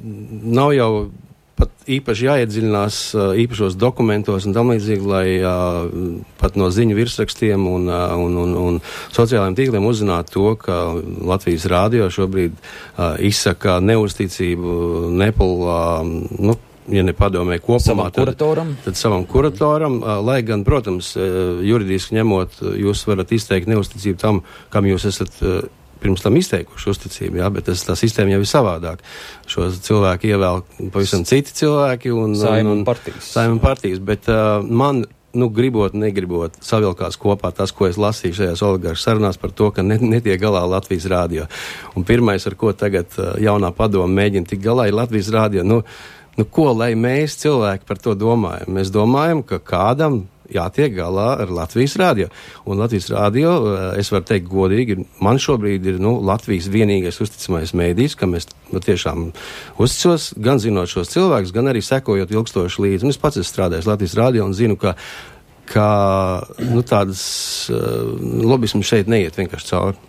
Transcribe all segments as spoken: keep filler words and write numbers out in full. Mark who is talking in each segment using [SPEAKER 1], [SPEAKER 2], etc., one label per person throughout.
[SPEAKER 1] nav jau pat īpaši jāiedziļinās īpašos dokumentos un tam līdzīgi, lai uh, pat no ziņu virsrakstiem un, uh, un, un, un sociālajiem tīkliem uzzinātu to, ka Latvijas rādio šobrīd uh, izsaka neusticību Nepal, uh, nu, ja ne padomē kopumā,
[SPEAKER 2] savam kuratoram,
[SPEAKER 1] tad, tad savam kuratoram, uh, lai gan, protams, uh, juridiski ņemot, jūs varat izteikt neusticību tam, kam jūs esat uh, pirms tam izteikuši uzticību, jā, bet tas, tā sistēma jau ir savādāk. Šos cilvēki ievēl pavisam citi cilvēki un,
[SPEAKER 2] Saima
[SPEAKER 1] un,
[SPEAKER 2] un partijas.
[SPEAKER 1] Saima un partijas, bet uh, man, nu, gribot, negribot, savilkās kopā tas, ko es lasīju šajās oligaršu sarunās par to, ka net, netiek galā Latvijas rādio. Un pirmais, ar ko tagad uh, jaunā padoma mēģina tik galā, ir Latvijas rādio. Nu, nu, ko, lai mēs cilvēki par to domājam? Mēs domājam, ka kādam jātiek galā ar Latvijas rādio. Un Latvijas rādio, es varu teikt godīgi, man šobrīd ir, nu, Latvijas vienīgais uzticamais mēdījis, kam es nu, tiešām uzticos, gan zinot šos cilvēkus, gan arī sekojot ilgstoši līdzi. Un es pats esmu strādājis Latvijas rādio un zinu, ka, ka nu, tādas uh, lobismu šeit neiet vienkārši cauri.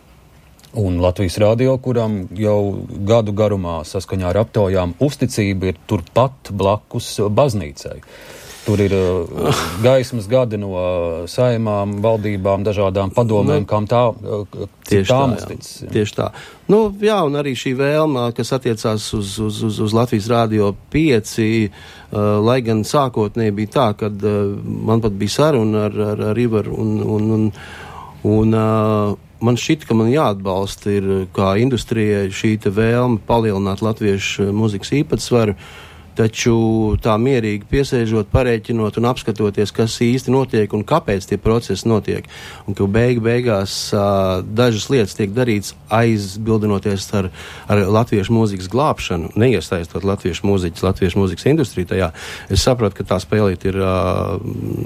[SPEAKER 2] Un Latvijas rādio, kuram jau gadu garumā saskaņā ar aptaujām uzticība ir turpat blakus baznīcai. Tur ir uh, gaismas gadi no uh, saimām, valdībām, dažādām padomēm, nu, kam tā, uh, cik tām uztic.
[SPEAKER 1] Tieši tā. Nu, jā, un arī šī vēlma, kas attiecās uz, uz, uz, uz Latvijas rādio pieci, uh, lai gan sākotnēji bija tā, kad uh, man pat bija saruna ar, ar, ar Ivaru un, un, un, un uh, man šķita, ka man jāatbalsta ir kā industrijai šī te vēlme palielināt latviešu mūzikas īpatsvaru. Taču tā mierīgi piesēžot, parēķinot un apskatoties, kas īsti notiek un kāpēc tie procesi notiek. Un ka beig, beigās uh, dažas lietas tiek darīts aizbildinoties ar, ar latviešu mūzikas glābšanu, neiesaistot latviešu mūziķus, latviešu mūzikas industriju tajā. Es saprotu, ka tā spēlīt ir uh,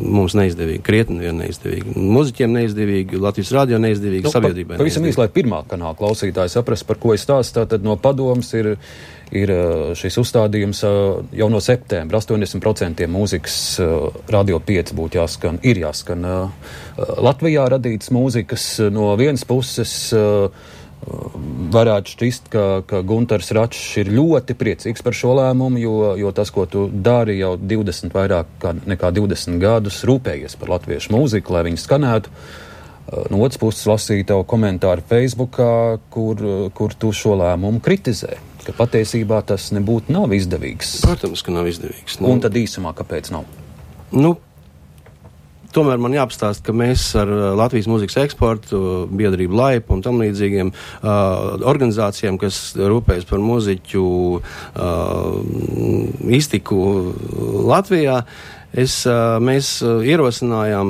[SPEAKER 1] mums neizdevīga, krietni vien neizdevīga. Mūziķiem neizdevīga, Latvijas rādio neizdevīga, nu, sabiedrībai
[SPEAKER 2] pa, pavisam īsti, lai pirmā kanāla klausītāji saprast, par ko es stāstu, tad no padomas ir ir šis uzstādījums jau no septembra. astoņdesmit procenti mūzikas Radio pieci būtu jāskan, ir jāskan Latvijā radītas mūzikas. No vienas puses varētu šķist, ka, ka Guntars Račs ir ļoti priecīgs par šo lēmumu, jo, jo tas, ko tu dari jau divdesmit vairāk kā, nekā divdesmit gadus, rūpējies par latviešu mūziku, lai viņi skanētu. No otras puses lasīju tavu komentāru Facebookā, kur, kur tu šo lēmumu kritizē, ka patiesībā tas nebūtu nav izdevīgs.
[SPEAKER 1] Protams, ka nav izdevīgs. Nu,
[SPEAKER 2] un tad īsumā, kāpēc nav?
[SPEAKER 1] Nu, tomēr man jāapstāst, ka mēs ar Latvijas mūzikas eksportu, biedrību Laipa un tam līdzīgiem uh, organizācijām, kas rūpējas par mūziķu uh, iztiku Latvijā, Es, mēs ierosinājām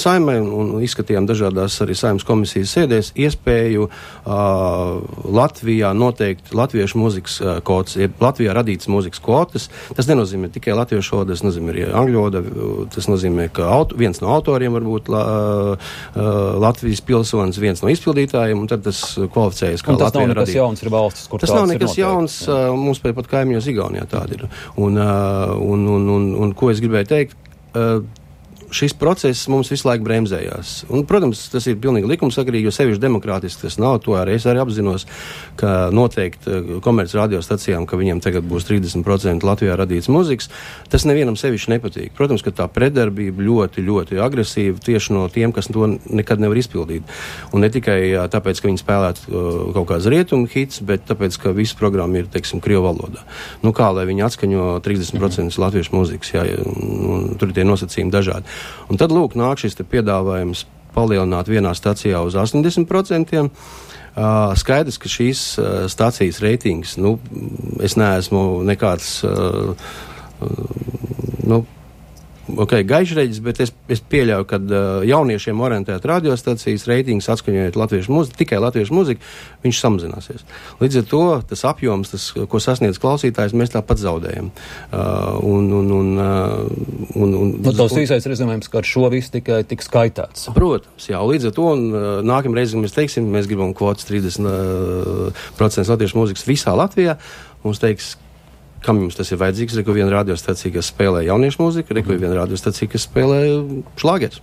[SPEAKER 1] Saimai un izskatījām dažādās arī Saimas komisijas sēdēs iespēju uh, Latvijā noteikt latviešu mūzikas uh, kvotas, ja Latvijā radītas mūzikas kvotas. Tas nenozīmē tikai latviešu valoda, tas nozīmē arī angļu valoda, tas nozīmē, ka auto, viens no autoriem var būt la, uh, Latvijas pilsonis, viens no izpildītājiem, un tad tas kvalificējas kā Latvijā radīta.
[SPEAKER 2] Tas nav nekas jauns, ir valstis, kur
[SPEAKER 1] tas nav nekas jauns, uh, mums pēc pat kaimiņos Igaunijā tāda ir. Un, uh, un, un, un, un ko es gribēju teikt, uh, šis process mums visu laiku bremzējās. Un, protams, tas ir pilnīgi likumsakarīgi, jo sevišķi demokrātiski tas nav. To arī es arī apzinos, ka noteikti komerc radiostacijām, ka viņiem tagad būs trīsdesmit procenti Latvijā radīts mūzikas, tas nevienam sevišķi nepatīk. Protams, ka tā pretdarbība ļoti, ļoti agresīva tieši no tiem, kas to nekad nevar izpildīt. Un ne tikai tāpēc, ka viņi spēlētu uh, kaut kāds rietumu hits, bet tāpēc, ka visa programma ir, teiksim, krievu valodā. Nu kā, lai viņi atskaņo trīsdesmit procenti latviešu mūzikas, jā, un tur ir tie nosacījumi dažādi. Un tad, lūk, nāk šis te piedāvājums palielināt vienā stacijā uz astoņdesmit procentiem. Uh, skaidrs, ka šīs uh, stacijas reitings, nu, es neesmu nekāds, uh, uh, nu, ok, gaišreģis, bet es, es pieļauju, ka uh, jauniešiem orientēt radiostacijas reitings atskaņojot latviešu mūziku, tikai latviešu mūziku, viņš samazināsies. Līdz ar to tas apjoms, tas, ko sasniedz klausītājs, mēs tāpat zaudējam. Uh, un, un, un, uh, un, un,
[SPEAKER 2] nu, tavs īsais rezumējums, ka ar šo visu tikai tik skaitāts.
[SPEAKER 1] Protams, jā, līdz ar to, un uh, nākamreiz, kad mēs teiksim, mēs gribam kvotas trīsdesmit procenti latviešu mūzikas visā Latvijā, mums teiks, kam jums tas ir vajadzīgs, reku viena radiostacija, kas spēlē jauniešu mūziku, reku viena radiostacija, kas spēlē šlāgers.